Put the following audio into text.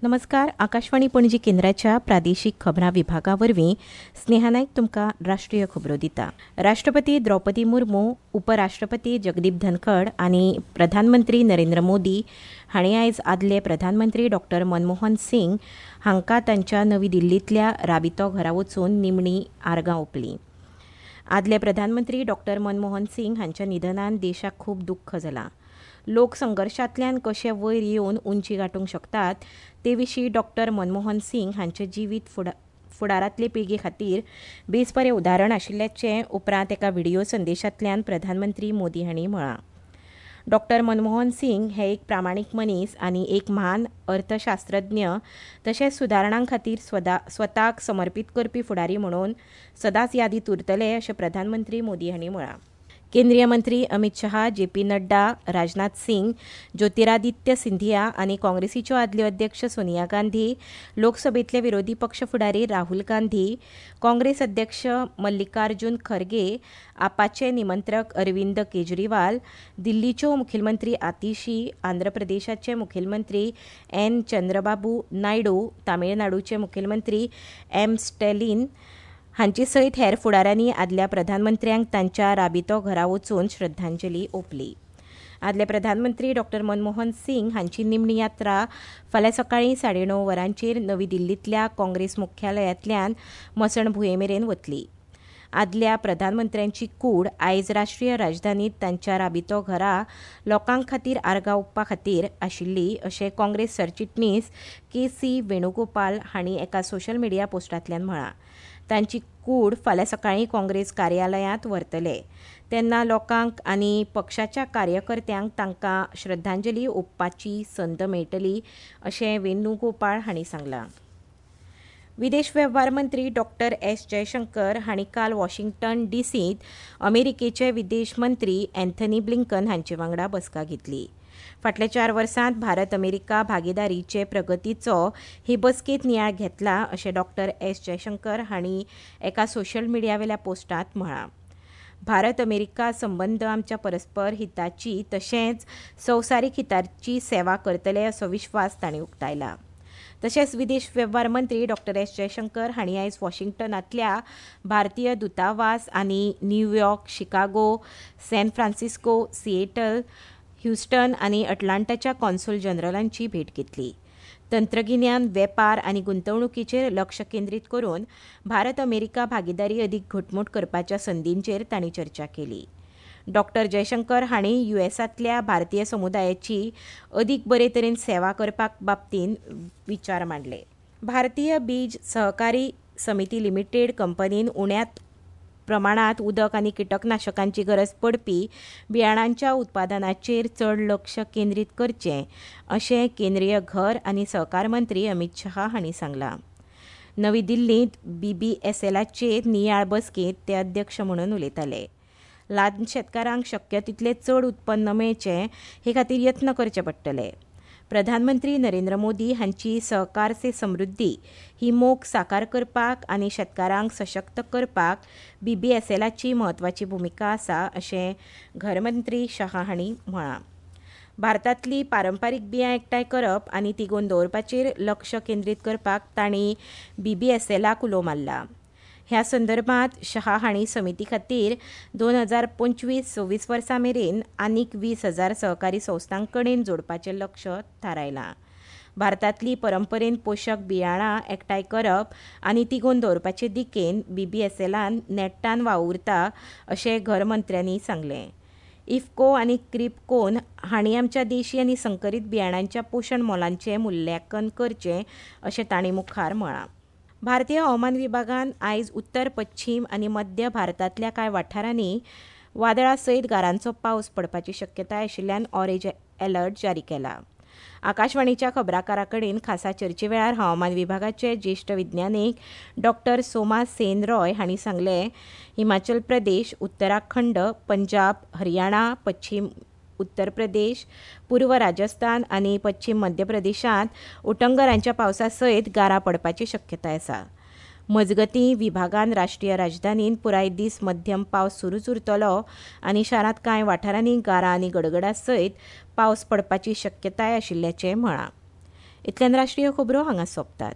नमस्कार, आकाशवाणी पणजी केंद्राच्या प्रादेशीक खबरां विभागा वरवीं स्नेहा नायक तुमकां राष्ट्रीय खबरो दिता. राष्ट्रपती द्रौपदी मुर्मू, उपराष्ट्रपती जगदीप धनखड आनी प्रधानमंत्री नरेंद्र मोदी हांणी आयज आदले प्रधानमंत्री डॉक्टर मनमोहन सिंग हांकां तांच्या नवी दिल्लींतल्या राबितो घरा वचून निमणी आर्गां ओंपलीं. आदले प्रधानमंत्री डॉक्टर मनमोहन सिंग हांच्या निधनान देशाक खूब दुख्ख जालां. लोक संघर्शांतल्यान कशे वयर येवन उंची गांठूंक शकतात ते विशीं डॉक्टर मनमोहन सिंग हांचें जिवीत फुडारांतले पिळगे खातीर बेस बरें उदाहरण आशिल्ल्याचें उपरांत एका व्हिडियो संदेशांतल्यान प्रधानमंत्री मोदी हांणी म्हळां. डॉक्टर मनमोहन सिंग हे एक प्रामाणीक मनीस आनी एक म्हान अर्थशास्त्रज्ञ तशेंच सुदारणां खातीर स्वताक समर्पीत करपी फुडारी म्हणून सदांच यादींत उरतले अशें प्रधानमंत्री मोदी हांणी म्हळां. केंद्रीय मंत्री अमित शहा, जे पी नड्डा, राजनाथ सिंग, ज्योतिरादित्य सिंधिया आनी काँग्रेसीच्यो आदल्यो अध्यक्ष सोनिया गांधी, लोकसभेंतले विरोधी पक्ष फुडारी राहुल गांधी, काँग्रेस अध्यक्ष मल्लिकार्जुन खरगे, आपाचे निमंत्रक अरविंद केजरीवाल, दिल्लीच्यो मुखेलमंत्री आतिशी, आंध्र प्रदेशाचे मुखेलमंत्री एन चंद्रबाबू नायडू, तामिळनाडूचे मुखेलमंत्री एम स्टॅलिन हांचे सयत हेर फुडाऱ्यांनी आदल्या प्रधानमंत्र्यांक तांच्या राबितो घरा वचून श्रद्धांजली ओंपली. आदले प्रधानमंत्री डॉक्टर मनमोहन सिंग हांची निमणी यात्रा फाल्यां सकाळीं 9:30 वरांचेर नवी दिल्लींतल्या काँग्रेस मुख्यालयांतल्यान मसणभुंये मेरेन वतली. आदल्या प्रधानमंत्र्यांची कूड आयज राष्ट्रीय राजधानींत तांच्या राबितो घरा लोकां खातीर आर्गां ओंपपा खातीर आशिल्ली अशें काँग्रेस सरचिटणीस के सी वेणुगोपाल हांणी एका सोशल मिडिया पोस्टांतल्यान म्हळां. तांची कूड फाल्यां सकाळीं काँग्रेस कार्यालयांत व्हरतले तेन्ना लोकांक आनी पक्षाच्या कार्यकर्त्यांक तांकां श्रद्धांजली ओंपपाची संद मेळटली अशें वेणुगोपाळ हांणी सांगलां. विदेश वेव्हार मंत्री डॉक्टर एस जयशंकर हांणी काल वॉशिंग्टन डीसींत अमेरिकेचे विदेश मंत्री अँथनी ब्लिंकन हांचे वांगडा बसका घेतली. फाटल्या 4 वर्सांत भारत अमेरिका भागीदारीचे प्रगतीचो ही बसकेंत नियाळ घेतला अशें डॉक्टर एस जयशंकर हांणी एका सोशल मिडियावेल्या पोस्टांत म्हळां. भारत अमेरिका संबंद आमच्या परस्पर हिताची तशेंच संवसारीक हिताची सेवा करतले असो विश्वास तांणी उक्तायला. तशेंच विदेश वेव्हार मंत्री डॉक्टर एस जयशंकर हांणी आयज वॉशिंग्टनांतल्या भारतीय दूतावास आनी New York, Chicago, San Francisco, Seattle, Houston आनी अटलांटाच्या कॉन्सूल जनरलांची भेट घेतली. तंत्रगिन्यान, वेपार आनी गुंतवणुकीचेर लक्ष केंद्रीत करून भारत अमेरिका भागीदारी अदीक घटमूट करपाच्या संदींचेर तांणी चर्चा केली. डॉक्टर जयशंकर हांणी युएसांतल्या भारतीय समुदायाची अदीक बरे तरेन सेवा करपाक बाबतींत विचार मांडले. भारतीय बीज सहकारी समिती लिमिटेड कंपनीन उण्यात प्रमाणांत उदक आनी किटकनाशकांची गरज पडपी बियाणांच्या उत्पादनाचेर चड लक्ष केंद्रीत करचें अशें केंद्रीय घर आनी सहकार मंत्री अमित शहा हांणी सांगलां. नवी दिल्लींत बीबीएसएलाचे नियाळ बसकेंत ते अध्यक्ष म्हणून उलयताले. ल्हान शेतकारांक शक्य तितलें चड उत्पन्न मेळचें हे खातीर यत्न करचे पडटले. प्रधानमंत्री नरेंद्र मोदी हांची सहकार से समृद्धी ही मोख साकार करपाक आनी शेतकारांक सशक्त करपाक बीबीएसएलाची म्हत्वाची भुमिका आसा अशें घरमंत्री शहा हांणी म्हळां. भारतांतली पारंपारीक बियां एकठांय करप आनी तिगोवन दवरपाचेर लक्ष केंद्रीत करपाक तांणी बीबीएसएलाक उलो मारला. ह्या संदर्भात शहा हांणी समिती खातीर 2025-26 वर्सां मेरेन आनीक 20,000 सहकारी संस्थां कडेन जोडपाचें लक्ष थारायलां. भारतांतली परंपरेन पोशक बियाणां एकठांय करप आनी तिगोवन दवरपाचे दिकेन बीबीएसएलान नेट्टान वावुरता अशें घरमंत्र्यांनी सांगलें. इफको आनी क्रिपकोन हांणी आमच्या देशी आनी संकरीत बियाणांच्या पोशण मोलांचें मुल्यांकन करचें अशें तांणी मुखार म्हळां. भारतीय हवामान विभागान आयज उत्तर, पश्चीम आनी मध्य भारतांतल्या कांय वाठारांनी वादळा सयत गारांचो पावस पडपाची शक्यताय आशिल्ल्यान ऑरेंज अलर्ट जारी केला. आकाशवाणीच्या खबराकारा कडेन खासा चर्चे वेळार हवामान विभागाचे ज्येश्ठ विज्ञानीक डॉक्टर सोमा सेन रॉय हांणी सांगलें, हिमाचल प्रदेश, उत्तराखंड, पंजाब, हरियाणा, पश्चीम उत्तर प्रदेश, पूर्व राजस्थान आनी पश्चीम मध्य प्रदेशांत उटंगरांच्या पावसा सयत गारां पडपाची शक्यताय आसा. मजगतीं, विभागान राष्ट्रीय राजधानींत पुराय दीस मध्यम पावस सुरूच उरतलो आनी शारांत कांय वाठारांनी गारां आनी गडगडा सयत पावस पडपाची शक्यताय आशिल्ल्याचें म्हळां. इतल्यान राष्ट्रीय खबरो हांगा सोंपतात.